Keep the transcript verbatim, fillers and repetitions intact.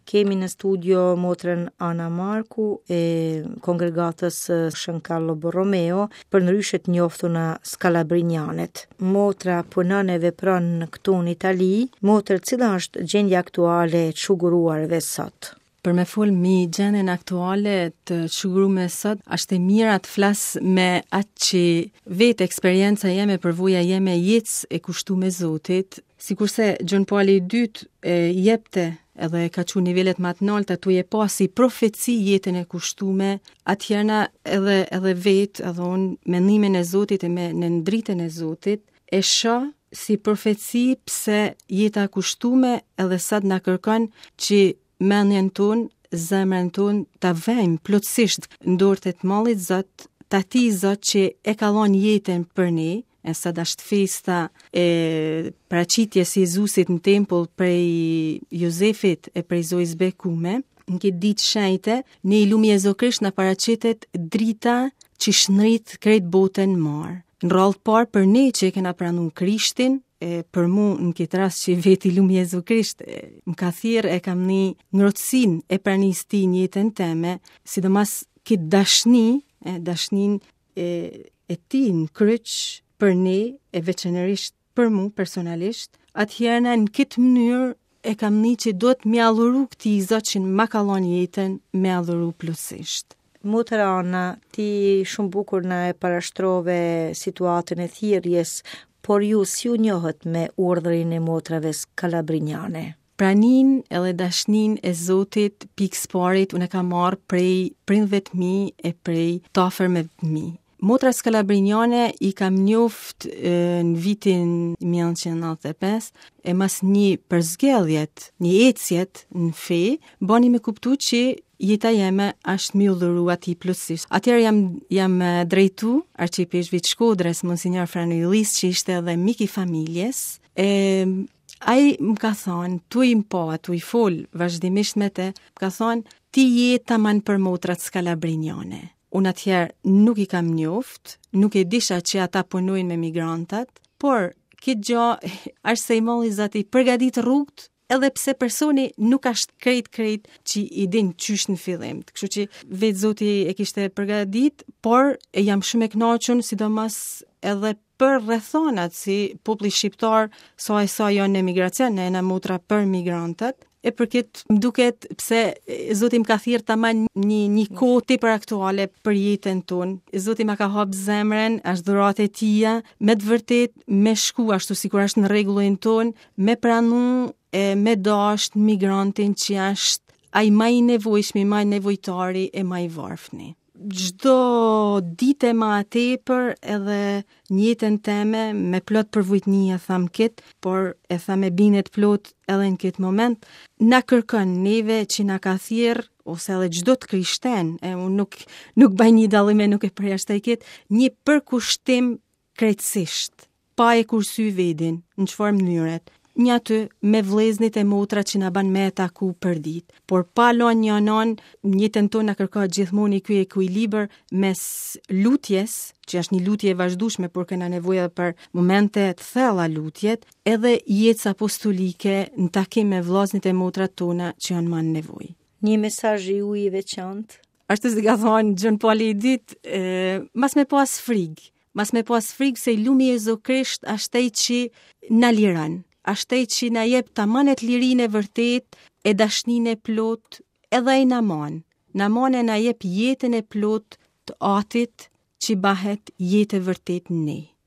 Kemi në studio motrën Ana Marku e kongregatës Shën Carlo Borromeo, përndryshe të njoftuna Skalabrinianet. Motra punon e vepron këtu në Itali. Motër, cila është gjendja aktuale e të sot? Për me fol mi gjendjen aktuale të shugurume sot, është e mira të flas me atë që vetë eksperienca jeme, përvoja jeme jetës e kushtu me Zotit, sikurse Gjon Pali i dytë e jepte edhe ka qu nivelet më të nalta tu e pa si profeci jetën e kushtume, atëherna edhe edhe vetë, edhe unë me ndihmën e Zotit e me në dritën e Zotit, e shoh si profeci pse jeta e kushtume edhe sot na kërkon që mendjen tonë, zemrën tonë ta vejmë plotësisht në dorë të të mallit Zot, të atij Zot që e ka dhonë jetën për ne, e sot është festa e paraqitjes së Jezusit në tempull prej Jozefit e prej Zojës Bekume. Në këtë ditë shenjte, ne i lumi Jezu Krisht na paraqitet drita që shndrit krejt botën marë. Në rrallë të parë për ne që e kena pranu Krishtin, e për mu në këtë rast që vetë i lumi Jezu Krisht e, më ka thirrë e kam një ngrohtësinë e pranisë tij në jetën teme, sidomos këtë dashni, e, dashnin e, e tij në kryq për ne e veçanërisht për mu personalisht, atëherë në këtë mënyrë e kam një që duhet me adhuru këtij Zot që ma ka dhënë jetën, me adhuru plotësisht. Motër Ana, ti shumë bukur na e parashtrove situatën e thirrjes, por ju si u njohët me urdhrin e motrave skalabriniane? Pranin edhe dashnin e Zotit pikë s'parit unë e kam marrë prej prindve të mi e prej t'afërmve të mi. Motra skalabriniane i kam njoft e, në vitin një mijë e nëntëqind e nëntëdhjetë e pesë e mas një përzgjedhjet, një ecjet në fe, bani me kuptu që jeta jeme është mi u dhuru atij plotësisht. Atëherë jam, jam drejtu arqipeshkvit Shkodrës, Monsignor Frano Illis, që ishte edhe mik i familjes, e ai më ka thonë, tu i më pa, tu i fol vazhdimisht me te, më ka thonë, ti je taman për motrat skalabriniane. Unë atëherë nuk i kam njoft, nuk e disha që ata punojnë me migrantat, por këtë gjë është se i molli Zoti përgatit rrugët, edhe pse personi nuk është krejt krejt që i din qysh në fillim. Kështu që vetë Zoti e kishte përgatit, por e jam shumë e kënaqur, sidomos edhe për rrethonat si populli shqiptar sa e sa janë në emigracion, ne jena motra për migrantët. E për këtë më duket pse Zoti më ka thirrë taman një një kohë tepër aktuale për jetën tonë. Zoti ma ka hap zemrën, është dhuratë e tija, me të vërtet me shku ashtu sikur është në rregullin tonë, me pranu e me dasht migrantin që është ai ma i nevojshmi, ma i nevojtari e ma i varfni. Çdo ditë ma tepër edhe në jetën teme me plot përvujtni e tham kit, por e tham me bindje plot edhe në këtë moment, na kërkon neve që na ka thirr ose edhe çdo të krishten, e unë nuk nuk bëj një dallim e nuk e përjashtoj kit, një përkushtim krejtësisht, pa e kursy vedin, në çfarë mënyret, një aty me vleznit e motrat që na ban me taku për dit. Por pa lon një anon, në jetën tonë na kërkohet gjithmonë ky ekuilibër mes lutjes, që është një lutje e vazhdueshme, por kena nevojë edhe për momente të thella lutjet, edhe jetës apostolike në takim me vllaznit e motrat tona që janë më në nevojë. Një mesazh i juaj i veçantë? Ashtu si ka thonë Gjon Pali i dytë, e, mas me pas frigë, mas me pas frigë se i lumi Jezu Krisht është ai që na liron, është ai që na jep tamanet lirinë e vërtet, e dashninë e plot, edhe ai na man. Na man e na jep jetën e plot të atit që bahet jetë e vërtet në ne.